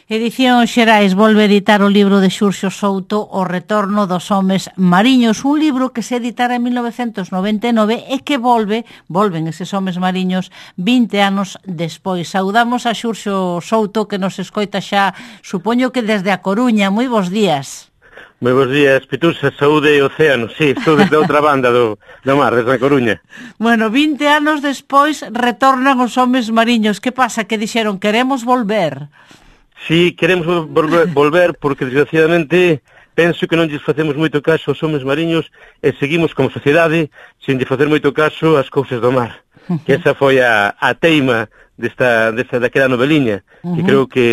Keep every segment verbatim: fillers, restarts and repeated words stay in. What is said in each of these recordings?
Edición Xerais volve a editar o libro de Xurxo Souto O retorno dos homes mariños, un libro que se editara en mil novecentos noventa e nove e que volve, volven eses homes mariños vinte anos despois. Saudamos a Xurxo Souto que nos escoita xa, supoño que desde a Coruña. Moi bons días. Moi bons días, Pitusa, saúde e océano. Sí, estou desde outra banda do, do mar, desde a Coruña. Bueno, vinte anos despois retornan os homes mariños. Que pasa? Que dixeron, queremos volver. Sí, queremos volver, volver porque, desgraciadamente, penso que non lles facemos moito caso aos homes mariños e seguimos como sociedade sin lle facer moito caso ás cousas do mar. Uh-huh. Que esa foi a, a teima desta, desta, daquela noveliña, uh-huh. que creo que...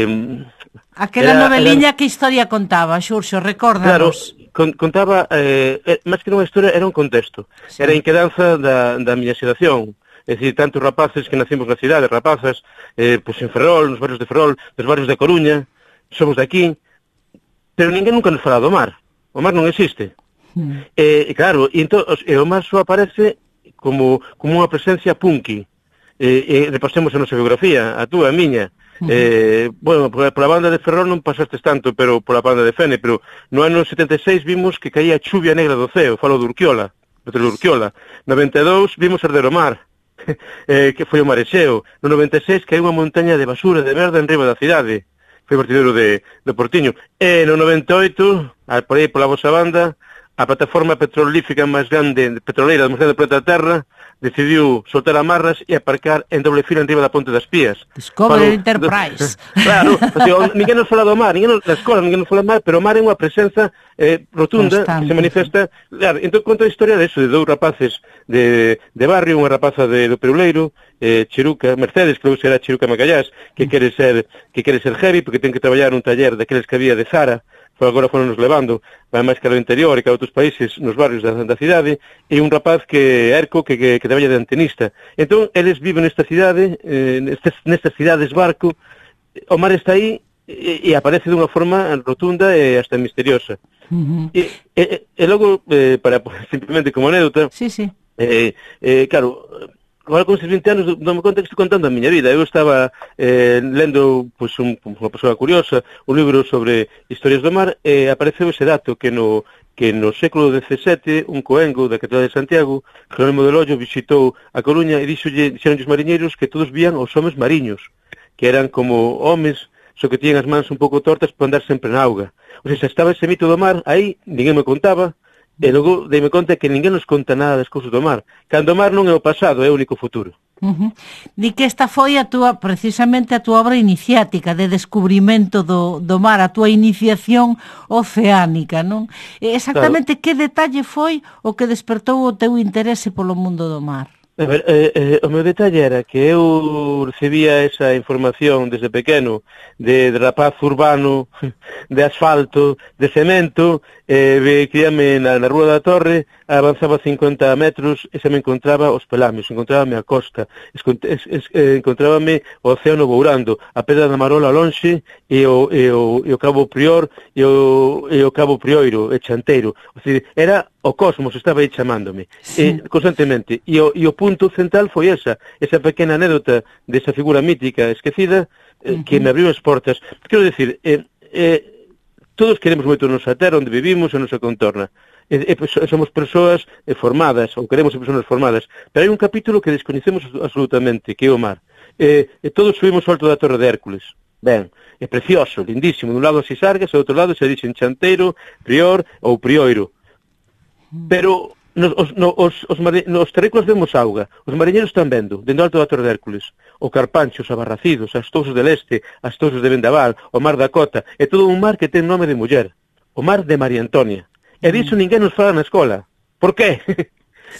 Aquela era, noveliña era... que historia contaba, Xurxo, recórdanos. Claro, con, contaba, eh, máis que unha historia, era un contexto. Sí. Era a inquedanza da, da miña xeración. É dicir, tantos rapaces que nacimos na cidade, rapazas, eh, pois en Ferrol, nos barrios de Ferrol, nos barrios de Coruña, somos de aquí, pero ninguén nunca nos fala do mar. O mar non existe. Mm. E, claro, e, entón, e o mar só aparece como, como unha presencia punky. E, e repasemos a nosa biografía, a túa, a miña. Mm. Eh, bueno, pola banda de Ferrol non pasastes tanto, pero pola banda de Fene, pero no ano setenta e seis vimos que caía chuvia negra do ceo, falo de Urquiola, de Urquiola. noventa e dous vimos arder o mar. eh, que foi o Marexeo. No noventa e seis que hai unha montaña de basura de merda en riba da cidade, foi vertidero de, de Portiño. E no noventa e oito, por aí pola vosa banda, a plataforma petrolífica máis grande, petroleira máis grande do planeta Terra, decidiu soltar amarras e aparcar en doble fila en riba da Ponte das Pías. Discovery Enterprise. Claro, o sea, ninguén nos fala do mar, ninguén nos, na escola ninguén nos fala do mar, pero o mar é unha presenza eh, rotunda Constante. Que se manifesta. Claro, entón conta a historia de eso, de dous rapaces de, de barrio, unha rapaza de, do Peruleiro, eh, Chiruca, Mercedes, que logo será Chiruca Macallás, que quere ser que quere ser heavy, porque ten que traballar nun taller daqueles que había de Zara, foi agora foron nos levando, vai máis que ao interior e que a outros países, nos barrios da, da cidade, e un rapaz que Erco, que, que, que traballa de antenista. Entón, eles viven nesta cidade, eh, nestas, nestas cidades barco, o mar está aí e, e aparece dunha forma rotunda e hasta misteriosa. Uh-huh. E, e, e logo, eh, para simplemente como anécdota, sí, sí. Eh, eh, claro, agora con estes vinte anos dame conta que estou contando a miña vida. Eu estaba eh, lendo pois, un, unha persoa curiosa un libro sobre historias do mar e apareceu ese dato que no, que no século dezasete un coengo da catedral de Santiago, Jerónimo de Loyo, visitou a Coruña e dixolle, dixeron os mariñeiros que todos vían os homes mariños, que eran como homes, só que tiñan as mans un pouco tortas para andar sempre na auga. O sea, estaba ese mito do mar aí, ninguén me contaba. E logo deime conta que ninguén nos conta nada das cousas do mar. Cando o mar non é o pasado, é o único futuro. Uh-huh. Di que esta foi a túa, precisamente a túa obra iniciática de descubrimento do, do mar, a túa iniciación oceánica, non? Exactamente claro. Que detalle foi o que despertou o teu interese polo mundo do mar? A ver, eh, eh, o meu detalle era que eu recibía esa información desde pequeno de, de rapaz urbano, de asfalto, de cemento, eh, criame na, na Rúa da Torre, avanzaba cincuenta metros e se me encontraba os pelamios, encontrábame a costa, es, es, es, eh, encontrábame o océano bourando, a Pedra da Marola lonxe e o, e o, e o Cabo Prior e o, e o Cabo Prioiro, e Chanteiro. O sea, era o cosmos, estaba aí chamándome, sí. eh, constantemente. E o, e o punto central foi esa, esa pequena anécdota desa figura mítica esquecida eh, uh-huh. que me abriu as portas. Quero dicir, eh, eh, todos queremos moito a nosa terra, onde vivimos, a nosa contorna. E, e, somos persoas eh, formadas, ou queremos ser persoas formadas, pero hai un capítulo que descoñecemos absolutamente, que é o mar. Eh, e todos subimos ao alto da Torre de Hércules. Ben, é precioso, lindísimo. Dun lado as Sargas, e do outro lado se dixen Chanteiro, Prior ou Prioiro. Pero nos, os, no, os, os, nos terrícolas vemos auga, os mariñeiros están vendo, dentro alto da Torre de Hércules, o Carpancho, os Abarracidos, as Tousas del Este, as Tousas de Vendaval, o Mar da Cota, é todo un mar que ten nome de muller, o Mar de María Antonia. E diso ninguén nos fala na escola. Por qué?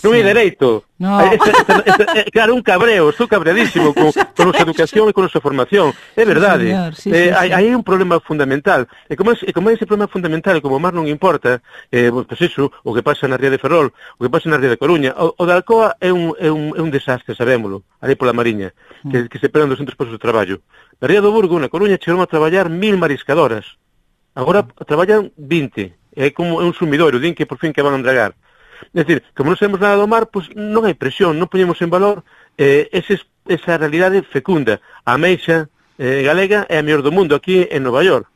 Non hai dereito. No. Esta, esta, esta, claro, un cabreo, estou cabreadísimo con, con nosa educación e con nosa formación. É verdade. Sí, sí, sí, eh, sí. Hai un problema fundamental. E como, é, como é ese problema fundamental, como o mar non importa, eh, pues eso, o que pasa na ría de Ferrol, o que pasa na ría de Coruña, o, o de Alcoa é un, é, un, é un desastre, sabémolo, ali pola Mariña, que, que se pegan doscentos postos de traballo. Na ría do Burgo, na Coruña, chegaron a traballar mil mariscadoras. Agora traballan vinte. É como un sumidoiro, din que por fin que van a embragar. É dicir, como non sabemos nada do mar, pois non hai presión, non poñemos en valor eh, ese, esa realidade fecunda. A ameixa, eh, galega é a mellor do mundo aquí en Nova York.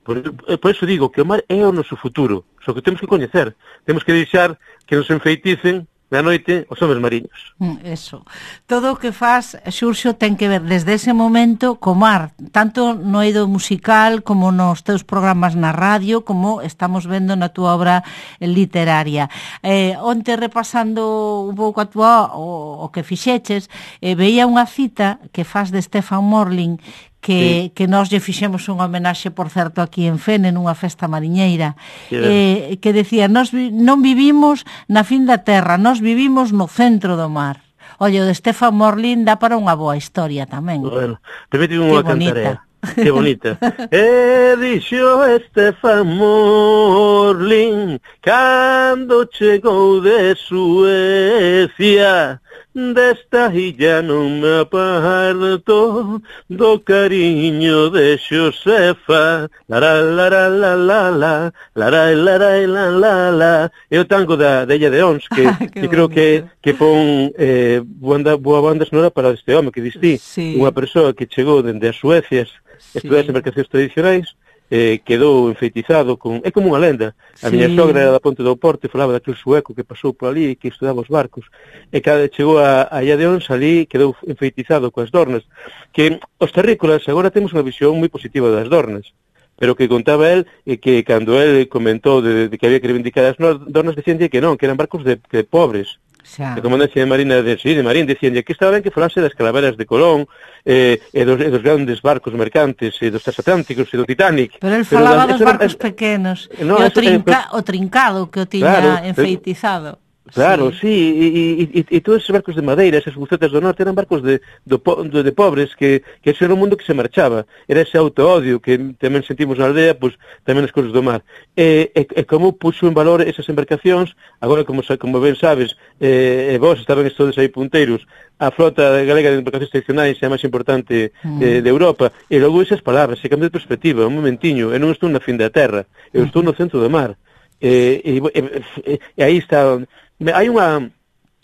Por, por eso digo que o mar é o noso futuro, só que temos que coñecer, temos que deixar que nos enfeiticen na noite os homes mariños. Eso. Todo o que faz, Xurxo, ten que ver desde ese momento co mar, tanto no eido musical como nos teus programas na radio, como estamos vendo na túa obra literaria. Eh, onte repasando un pouco a túa, o, o que fixeches, eh, veía unha cita que faz de Stefan Morling, que, sí. que nós lle fixemos unha homenaxe, por certo, aquí en Fene, nunha festa mariñeira, sí, eh, que decía, nós vi, non vivimos na fin da terra, nós vivimos no centro do mar. Oye, o de Stefan Morling dá para unha boa historia tamén. Bueno, permíteme unha cantarea. Que bonita. E dixo Stefan Morling cando chegou de Suecia, desta illa non me aparto do cariño de Xosefa. Lara, lara, la, la, la, lara, lara, la, la, la. É o tango da, da Illa de Ons, que, que creo que, que pon eh, boa, boa banda sonora para este home que distí. Sí. Unha persoa que chegou dende as Suecias, sí. Estudar as embarcacións tradicionais, eh, quedou enfeitizado con... É como unha lenda. A sí. Miña sogra era da Ponte do Porto e falaba daquele sueco que pasou por ali e que estudaba os barcos. E cada chegou a, a Illa de Ons, ali quedou enfeitizado coas dornas. Que os terrícolas agora temos unha visión moi positiva das dornas. Pero que contaba él e que cando él comentou de, de que había que reivindicar as dornas, decían que non, que eran barcos de, de pobres. Xa. De comandancia de Marina de, sí, de Marín, decían que estaba ben que falase das calaveras de Colón eh, e, dos, e dos grandes barcos mercantes e dos transatlánticos e do Titanic. Pero él falaba pero, dos barcos era, pequenos no, e o, trinca, eh, o trincado que o tiña claro, enfeitizado. Claro, sí, sí e, e, e todos esos barcos de madeira, esas bucetas do norte, eran barcos de, de, de, de pobres que, que ese era un mundo que se marchaba. Era ese auto-odio que tamén sentimos na aldea, pois tamén as cousas do mar. E, e, e como puxo en valor esas embarcacións, agora, como, como ben sabes, eh, e vos estaban todos aí punteiros, a flota galega de embarcacións tradicionais é a máis importante mm. de, de Europa, e logo esas palabras, se cambia de perspectiva, un momentiño, eu non estou na fin da terra, eu estou no centro do mar. E, e, e, e, e aí está... Hai unha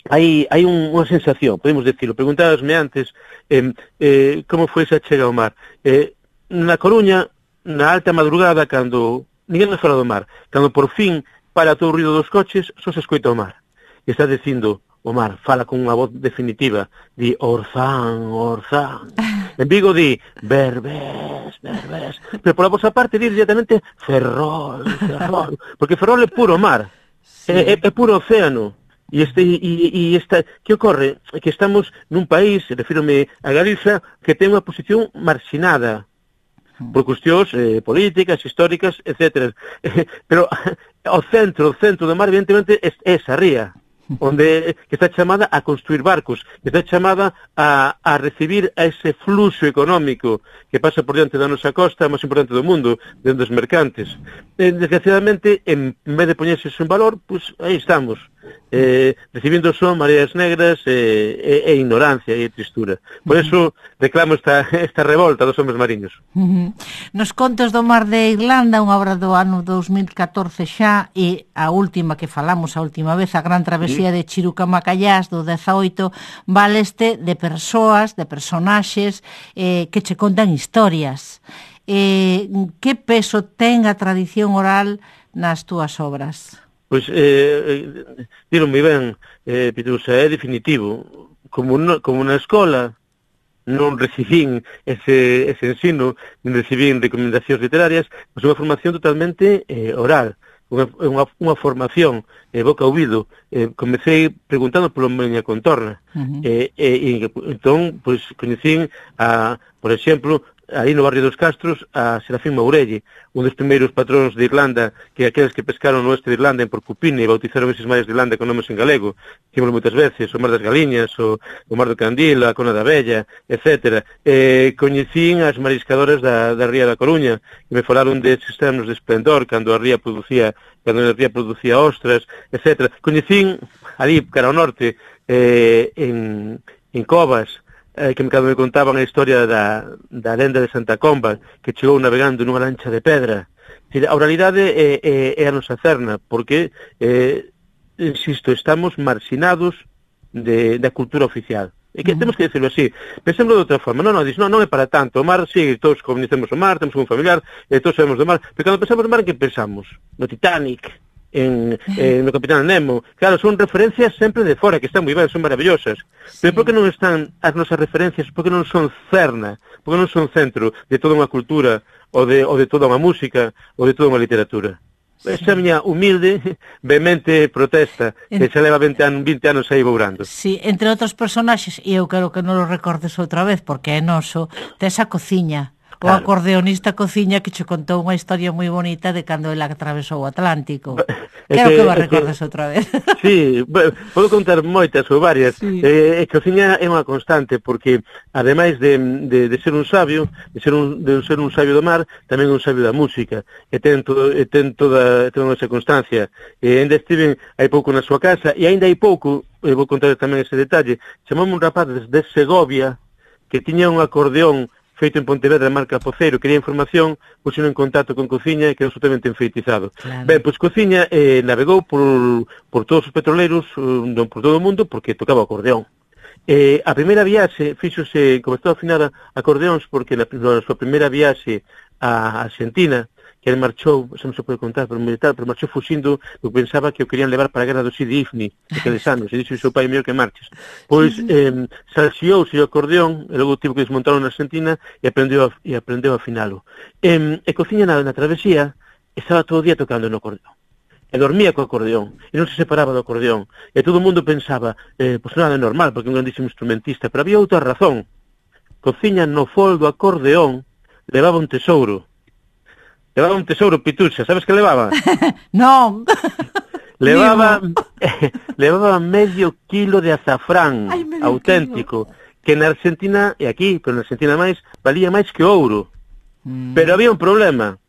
hai, hai un, unha sensación, podemos decirlo. Preguntabasme antes eh, eh, como foi esa chega ao mar. Eh, na Coruña, na alta madrugada, cando ninguén nos fala do mar, cando por fin para todo o ruido dos coches, só se escoita o mar. E está dicindo o mar, fala con unha voz definitiva, di Orzán, Orzán. En Vigo di Berbés, Berbés. Pero por a vosa parte di directamente Ferrol, Ferrol. Porque Ferrol é puro mar. Sí. É, é puro océano. E este e, e esta que ocorre que estamos nun país, refírome a Galiza, que ten unha posición marxinada por cuestións eh, políticas, históricas, etcétera. Pero o centro, o centro do mar, evidentemente, é esa ría, onde que está chamada a construir barcos, que está chamada a, a recibir a ese fluxo económico que pasa por diante da nosa costa, a máis importante do mundo, dentro dos mercantes. Eh, desgraciadamente, en vez de poñerse eso en valor, pues aí estamos, eh, recibindo son mareas negras e, e, e ignorancia e tristura. Por eso reclamo esta, esta revolta dos homes mariños. Uh-huh. Nos contos do mar de Irlanda, unha obra do ano dous mil catorce xa, e a última que falamos a última vez, a gran travesía de Chirucamacallás do dezaoito, valeste de persoas, de personaxes eh, que che contan historias. Eh, que peso ten a tradición oral nas túas obras? Pois, eh, dilo moi ben, eh, Pitusa, é definitivo. Como, no, como na escola non recibín ese, ese ensino, non recibín recomendacións literarias, pois unha formación totalmente eh, oral. Unha, unha, unha formación eh, boca a ouvido. Eh, comecei preguntando polo miña contorna. Uh-huh. eh, e, e, entón, pois, coñecín a, por exemplo, aí no barrio dos Castros, a Serafín Mourelle, un dos primeiros patróns de Irlanda, que aqueles que pescaron no oeste de Irlanda en Porcupine e bautizaron eses mares de Irlanda con nomes en galego, dicimos moitas veces, o Mar das Galiñas, o, o Mar do Candil, a Cona da Bella, etcétera. Eh, coñecín as mariscadoras da, da Ría da Coruña, que me falaron deses termos de esplendor, cando a ría producía, cando a ría producía ostras, etcétera. Coñecín, ali, cara ao norte, eh, en, en Covas, eh, que me, me contaban a historia da, da lenda de Santa Comba, que chegou navegando nunha lancha de pedra. A oralidade é, é, é a nosa cerna, porque, eh, insisto, estamos marxinados de, da cultura oficial. E que uh -huh. temos que decirlo así. Pensemos de outra forma. Non, non, dis, non, non é para tanto. O mar, sí, todos conhecemos o mar, temos un familiar, e todos sabemos do mar, pero cando pensamos no mar, en que pensamos? No Titanic, en, en no Capitán Nemo. Claro, son referencias sempre de fora, que están moi ben, son maravillosas. Sí. Pero por que non están as nosas referencias, por que non son cerna, por que non son centro de toda unha cultura, ou de, ou de toda unha música, ou de toda unha literatura? Sí. Esa miña humilde, vehemente protesta, que en... xa leva vinte anos, vinte anos aí bourando. Sí, entre outros personaxes, e eu quero que non lo recordes outra vez, porque é noso, tes a cociña. O claro. Acordeonista Cociña que che contou unha historia moi bonita de cando ele atravesou o Atlántico. Quero que, que va recordes que, outra vez. Sí, podo contar moitas ou varias. Sí. Eh, Cociña é unha constante porque, ademais de, de, de ser un sabio, de ser un, de ser un sabio do mar, tamén un sabio da música. E ten, todo, e ten toda, toda esa constancia. E ainda estiven hai pouco na súa casa, e ainda hai pouco, e vou contar tamén ese detalle, chamamos un rapaz de Segovia que tiña un acordeón feito en Pontevedra, marca Poceiro, quería información, puxeron en contacto con Cociña e quedou absolutamente enfeitizado. Claro. Ben, pois Cociña eh, navegou por, por todos os petroleiros, non por todo o mundo, porque tocaba o acordeón. Eh, a primeira viaxe, fíxose, comezou a afinar acordeóns, porque na, na súa primeira viaxe a Argentina, que ele marchou, xa non se pode contar, pero militar, pero marchou fuxindo, porque pensaba que o querían levar para a guerra do Sidi Ifni, aqueles anos, e dixo o seu pai mellor que marches. Pois, eh, salxiouse o acordeón, e logo tivo que desmontarlo na Argentina, e aprendeu a, e aprendeu a afinalo. E, e Cociña na, na travesía, estaba todo o día tocando no acordeón. E dormía co acordeón, e non se separaba do acordeón. E todo o mundo pensaba, eh, pois nada é normal, porque é un grandísimo instrumentista, pero había outra razón. Cociña no fol do acordeón levaba un tesouro. Levaba un tesouro, Pituxa, sabes que levaba? Non. Levaba levaba medio kilo de azafrán Ay, auténtico, kilo. Que na Argentina, e aquí, pero na Argentina máis, valía máis que ouro. Mm. Pero había un problema,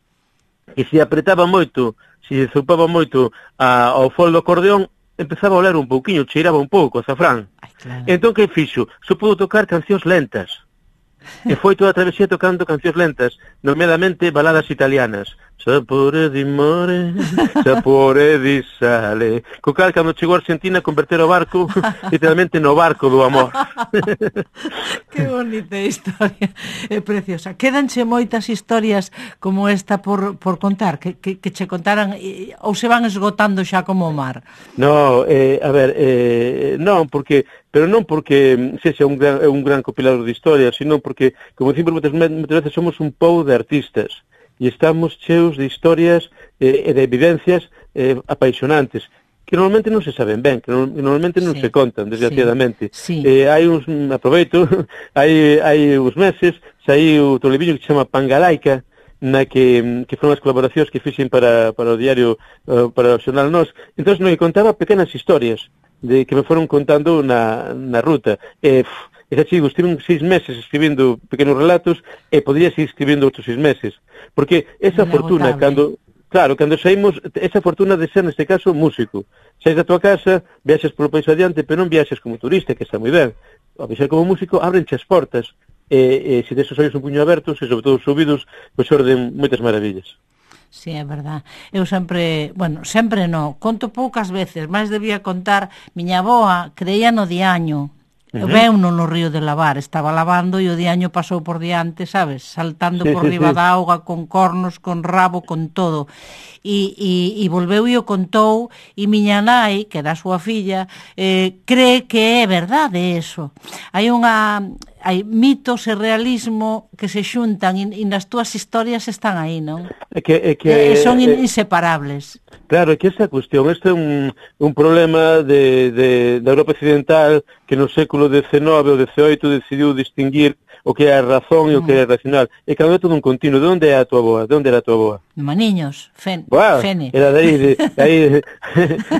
que se apretaba moito, se zupaba moito a, ao fol do acordeón, empezaba a oler un pouquiño, cheiraba un pouco azafrán. Ay, claro. Entón, que fixo? Só pudo tocar cancións lentas. E foi toda a travesía tocando cancións lentas, nomeadamente baladas italianas. Sapore di mare, sapore di sale. Co cal, cando chegou a Argentina, converter o barco literalmente no barco do amor. Que bonita historia, é preciosa. Quédanche moitas historias como esta por, por contar, que, que, que che contaran, ou se van esgotando xa como o mar? No, eh, a ver, eh, non, porque... pero non porque sexa un gran, un gran compilador de historias, sino porque, como dicimos moitas, moitas veces, somos un pobo de artistas e estamos cheos de historias eh, e de evidencias eh, apaixonantes que normalmente non se saben ben, que normalmente non sí, se contan, desgraciadamente. Sí, sí. Eh, hai uns, aproveito, hai, hai uns meses, saiu outro libriño que se chama Pangalaica, na que, que foron as colaboracións que fixen para, para o diario, uh, para o xornal Nós. Entón, non, que contaba pequenas historias de que me foron contando na, na ruta. E, e xa chigo, estive seis meses escribindo pequenos relatos e podría seguir escribindo outros seis meses. Porque esa fortuna, cando... Claro, cando saímos, esa fortuna de ser, neste caso, músico. Saís da tua casa, viaxes polo país adiante, pero non viaxes como turista, que está moi ben. Ao viaxar como músico, ábrenche as portas. E, e se des os ollos un puño abertos, e sobre todo os ouvidos, pois orden moitas maravillas. Sí, é verdad. Eu sempre, bueno, sempre non, conto poucas veces, máis debía contar, miña avoa creía no diaño. Uh -huh. Veuno no río de lavar, estaba lavando e o diaño pasou por diante, sabes, saltando sí, por sí, riba sí. da auga, con cornos, con rabo, con todo. E, e, e volveu e o contou, e miña nai, que era a súa filla, eh, cree que é verdade eso. Hai unha... hai mitos e realismo que se xuntan e, e nas túas historias están aí, non? É que, é que, e son é, inseparables. Claro, é que esa cuestión, este é un, un problema de, de, da Europa Occidental que no século decenove ou dezaoito decidiu distinguir o que é a razón e o que é racional. E cando é todo un continuo. De onde é a tua boa? De onde era a tua boa? Maniños, fen, wow, Fene. Era de aí, de, de aí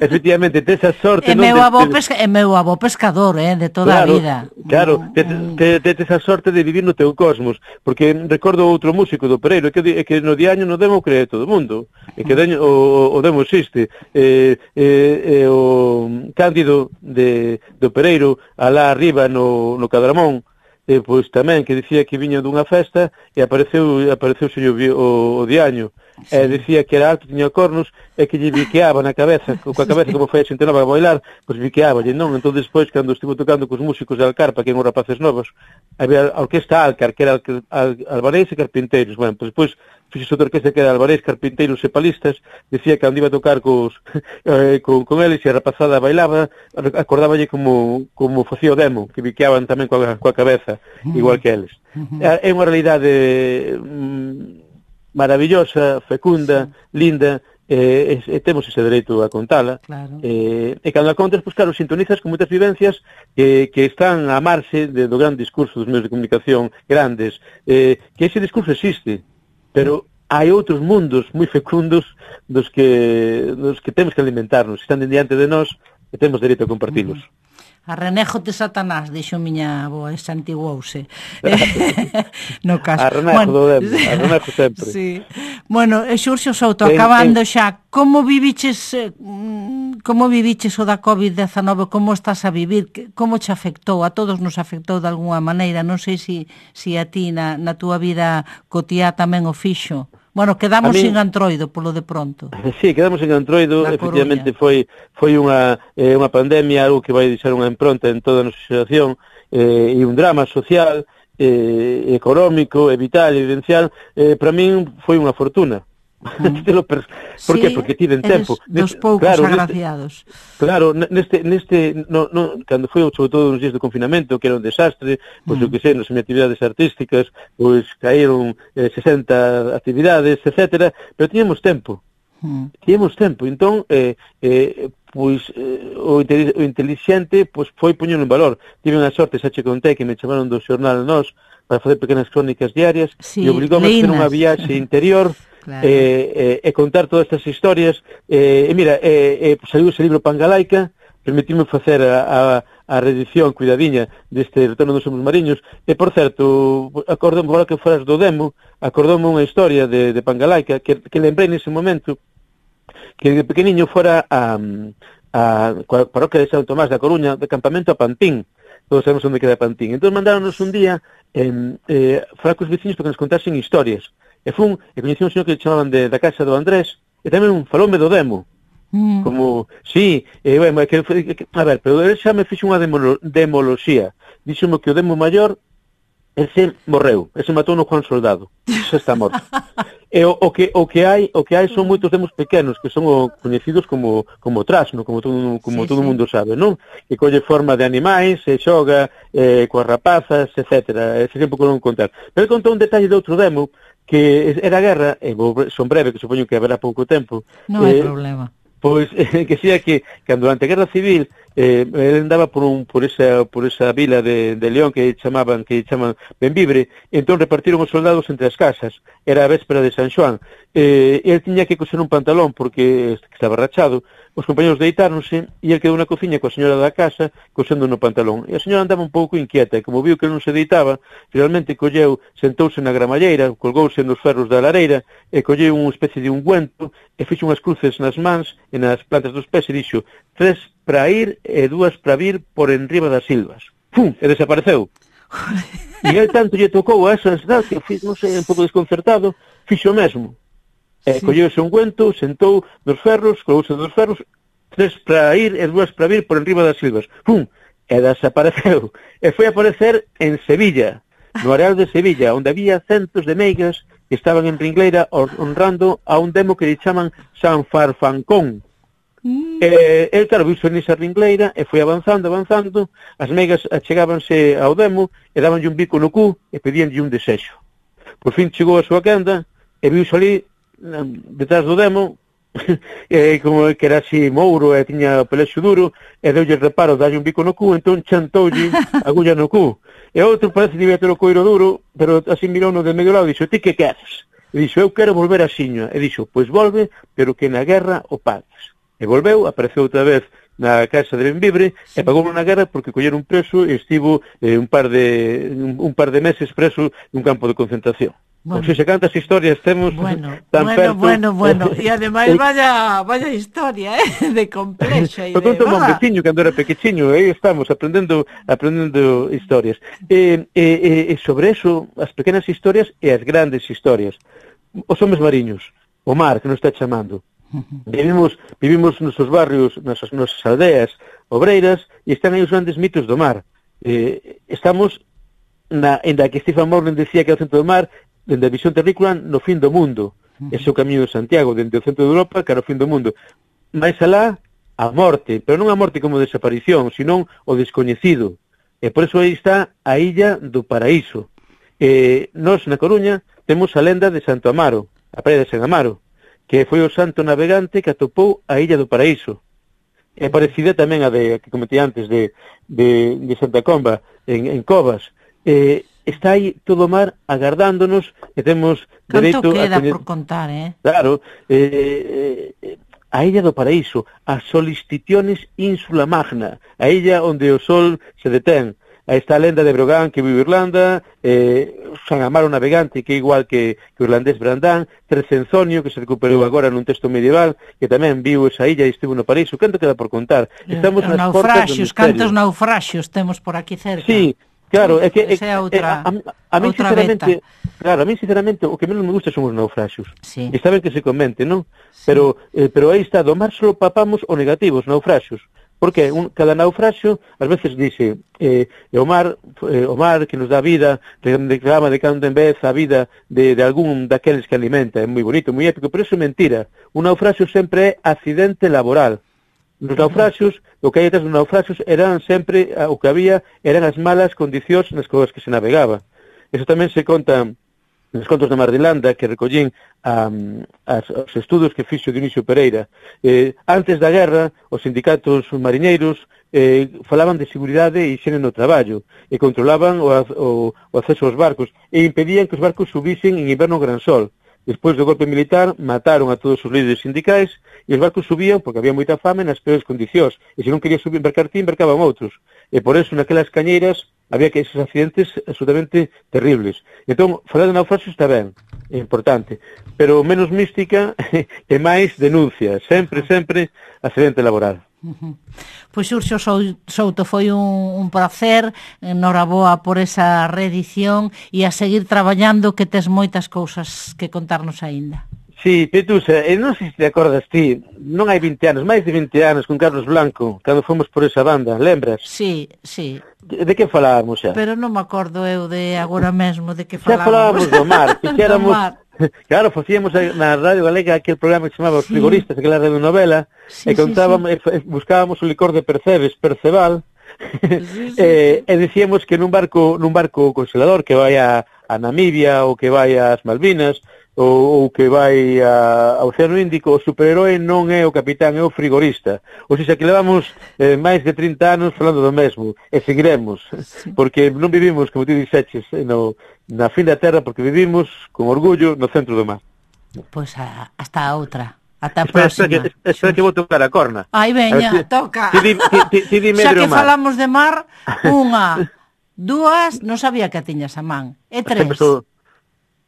efectivamente, tes a sorte... E meu avó, de... pesca, meu avó pescador, eh, de toda claro, a vida. Claro, mm, te, te, te, tes a sorte de vivir no teu cosmos, porque recordo outro músico do Pereiro, é que, é que no diaño no demo cree todo o mundo, é que daño, o, o demo existe. Eh, eh, eh, o Cándido de, do Pereiro, alá arriba no, no Cadramón, e pois tamén que dicía que viña dunha festa e apareceu apareceu o, o, o diaño sí. E dicía que era alto, tiña cornos, e que lle biqueaba na cabeza, coa cabeza como foi a xente nova a bailar, pois biqueaba, e non, entón despois, cando estivo tocando cos músicos de Alcarpa, que eran os rapaces novos, había a orquesta Alcar, que era al, albareis e carpinteiros, bueno, pois despois fixo outra orquesta que era albareis, carpinteiros e palistas, dicía que cando iba a tocar cos, eh, con, con eles e a rapazada bailaba, acordáballe como, como facía o demo, que biqueaban tamén coa, coa cabeza, uh-huh. igual que eles. Uh-huh. É unha realidade mm, maravillosa, fecunda, sí. linda, e, e, e temos ese dereito a contala. Claro. E, e cando a contas, pois claro, sintonizas con moitas vivencias que, que están a marxe de, do gran discurso dos medios de comunicación grandes, eh, que ese discurso existe, pero hai outros mundos moi fecundos dos que, dos que temos que alimentarnos, están diante de nós e temos dereito a compartilos. Uh-huh. Arrenejo de Satanás, dixo miña avoa, esa antiguouse. No caso. Arrenejo bueno, do demo, arrenejo sempre. Sí. Bueno, Xurxo Souto, acabando en, en... xa, como viviches como viviches o da covid dezanove, como estás a vivir, como te afectou? A todos nos afectou de algunha maneira, non sei se si, si a ti na, na túa vida cotiá tamén o fixo. Bueno, quedamos min, sin Antroido polo de pronto. Sí, quedamos sin Antroido, efectivamente foi foi unha eh, unha pandemia, algo que vai deixar unha impronta en toda a nosa xeración, eh, e un drama social, eh, económico, e vital, e vivencial, eh, para min foi unha fortuna. Mm. Per... Por sí, que? Porque tiven tempo. Dos poucos claro, agraciados. Neste, claro, neste, neste no, no, cando foi sobre todo nos días de confinamento, que era un desastre, pois mm. o que sei, nas minhas actividades artísticas, pois caíron eh, sesenta actividades, etcétera, pero tiñamos tempo. Mm. Tiñamos tempo, entón, eh, eh, pois eh, o, o inteligente pois foi poñendo en valor. Tive unha sorte, xa che contei, que me chamaron do xornal Nós para facer pequenas crónicas diarias, sí, e obligoume a facer unha viaxe interior. Claro. E, e, e contar todas estas historias, e, e mira, e, e, saiu ese libro Pangalaica, permitimos facer a, a, a reedición cuidadiña deste Retorno dos Homens Mariños, e por certo, acordome, agora que foras do demo, acordoume unha historia de, de Pangalaica, que, que lembrei nese momento, que de pequeniño fora a, a, a parroquia de São Tomás da Coruña, de campamento a Pantín, todos sabemos onde queda Pantín, entón mandáronos un día eh, eh, falar cos veciños para que nos contasen historias. E fun, e coñecí un señor que chamaban de, da casa do Andrés, e tamén faloume do demo. Mm. Como, sí, e, bueno, que, que, a ver, pero ele xa me fixo unha demo, demoloxía. Díxome que o demo maior, ese morreu, ese matou no Juan Soldado, ese está morto. E o, o, que, o, que hai, o que hai son moitos demos pequenos, que son o, coñecidos como, como trasno, como todo, como sí, todo sí. mundo sabe, non? Que colle forma de animais, se xoga, eh, coas rapazas, etcétera. Ese tempo que non contar. Pero contou un detalle de outro demo, que era a guerra, e son breve, que supoño que haberá pouco tempo. Non hai eh, problema. Pois, eh, que sea que, cando durante a Guerra Civil, eh, ele andaba por un por esa por esa vila de, de León que chamaban que chaman Benvibre, e entón repartiron os soldados entre as casas. Era a véspera de San Xoán. Eh, el tiña que coser un pantalón porque estaba rachado. Os compañeros deitáronse e el quedou na cociña coa señora da casa cosendo no pantalón. E a señora andaba un pouco inquieta e como viu que non se deitaba, finalmente colleu, sentouse na gramalleira, colgouse nos ferros da lareira e colleu unha especie de ungüento e fixo unhas cruces nas mans e nas plantas dos pés e dixo tres para ir e dúas para vir por enriba das silvas. Pum! E desapareceu. E el tanto lle tocou a esa ansiedade que fiz, non sei, un pouco desconcertado, fixo o mesmo. E sí. Colleu ese ungüento, sentou nos ferros, colgouse dos ferros, tres para ir e dúas para vir por enriba das silvas. Pum! E desapareceu. E foi a aparecer en Sevilla, no areal de Sevilla, onde había centos de meigas que estaban en Ringleira honrando a un demo que lle chaman San Farfancón. Mm. E, el, claro, viu nesa Ringleira e foi avanzando, avanzando, as meigas achegábanse ao demo e dabanlle un bico no cu e pedíanlle un desexo. Por fin chegou a súa quenda e viu ali detrás do demo e como que era así mouro e tiña o pelexo duro e deulle reparo dalle un bico no cu, entón chantoulle agulla no cu e outro parece que debía ter o coiro duro, pero así mirou no de medio lado e dixo, ti que queres? E dixo, eu quero volver a Xiña. E dixo, pois volve, pero que na guerra o pagues. E volveu, apareceu outra vez na casa de Benvibre e pagou na guerra porque colleron un preso e estivo eh, un par de un, un par de meses preso nun campo de concentración. Bueno. Non sei se cantas historias temos bueno, tan bueno, perto. Bueno, bueno, e ademais vaya, vaya historia, eh, de complexa e de... Conto un veciño cando era pequechiño, aí estamos aprendendo aprendendo historias. E, e, e sobre eso, as pequenas historias e as grandes historias. Os homes mariños. o mar que nos está chamando. Vivimos, vivimos nos nosos barrios, nas nosas aldeas obreiras, e están aí os grandes mitos do mar. Eh, estamos, na, en da que Stephen Morgan decía que é o centro do mar, dende a visión terrícola, no fin do mundo. Ese é o camiño de Santiago, dende o centro de Europa, cara ao fin do mundo. Mais alá, a morte, pero non a morte como desaparición, senón o descoñecido. E por eso aí está a Illa do Paraíso. Eh, nós, na Coruña, temos a lenda de Santo Amaro, a praia de San Amaro, que foi o santo navegante que atopou a Illa do Paraíso. É parecida tamén a de, que comentei antes, de, de, de Santa Comba, en, en Covas. Eh, está aí todo o mar agardándonos e temos dereito Canto queda a... Canto por contar, eh? Claro, eh, eh, a Illa do Paraíso, a Solistitiones Ínsula Magna, a illa onde o sol se detén. Aí está a lenda de Brogan, que vive Irlanda, eh, San Amaro navegante, que é igual que, que o irlandés Brandán, Trecenzonio, que se recuperou agora nun texto medieval, que tamén viu esa illa e estivo no paraíso. Canto queda por contar? Estamos Os nas portas do naufraxios, misterio. cantos naufraxios temos por aquí cerca. Sí, claro, é que é, Esa é outra, é, a, a, a mí outra sinceramente, beta. claro, a mí sinceramente o que menos me gusta son os naufraxios. Sí. Está ben que se comente, non? Sí. Pero eh, pero aí está, do mar só papamos o negativo, os naufraxios. Porque un, cada naufraxio, ás veces dice, eh, o mar, eh, o mar que nos dá vida, reclama de cando en vez a vida de, de algún daqueles que alimenta, é moi bonito, moi épico, pero eso é mentira. Un naufraxio sempre é accidente laboral. Nos naufraxios, o que hai detrás dos naufraxios eran sempre, o que había, eran as malas condicións nas coas que se navegaba. Eso tamén se conta nos contos de Mar de Landa, que recollín um, as, os estudos que fixo Dionisio Pereira. Eh, antes da guerra, os sindicatos mariñeiros eh, falaban de seguridade e higiene no traballo, e controlaban o, o, o acceso aos barcos, e impedían que os barcos subisen en inverno gran sol. Despois do golpe militar, mataron a todos os líderes sindicais, e os barcos subían, porque había moita fame, nas peores condicións, e se non quería subir embarcar ti, embarcaban outros. E por eso, naquelas cañeiras, había que esos accidentes absolutamente terribles. Entón, falar de naufraxio está ben, é importante, pero menos mística e máis denuncia, sempre, sempre, accidente laboral. Uh-huh. Pois Xurxo Souto, foi un, un placer, noraboa por esa reedición e a seguir traballando, que tes moitas cousas que contarnos aínda. Sí, Petusa, e non sei se te acordas ti, non hai vinte anos, máis de vinte anos con Carlos Blanco, cando fomos por esa banda, lembras? Sí, sí. De, de que falábamos xa? Pero non me acordo eu de agora mesmo de que falábamos. Xa falábamos do mar, fixéramos, claro, facíamos na Radio Galega aquel programa que se chamaba Os Frigoristas, aquela radionovela, sí, e contábamos, sí, sí. E buscábamos o licor de Percebes, Perceval, sí, sí, e, e dicíamos que nun barco, nun barco congelador que vai a, a Namibia ou que vai ás Malvinas, ou, ou que vai a, ao Océano Índico, o superheroe non é o capitán, é o frigorista. Ou seja, que levamos eh, máis de trinta anos falando do mesmo, e seguiremos, sí, porque non vivimos, como ti dixeches, no, na fin da terra, porque vivimos con orgullo no centro do mar. Pois pues a, hasta a outra. Ata a espera, próxima. Espera que, espera que vou tocar a corna. Ai, veña, si, toca. Ti, ti, ti, ti, ti xa que falamos de mar, unha, dúas, non sabía que a tiñas a man, e tres.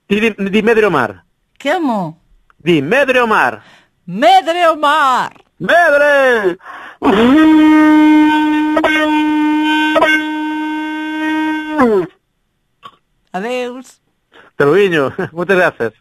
Ti di, di Medre o mar. Como? Di Medre o mar. Medre o mar. Medre! Adeus. Te lo viño. Moitas grazas.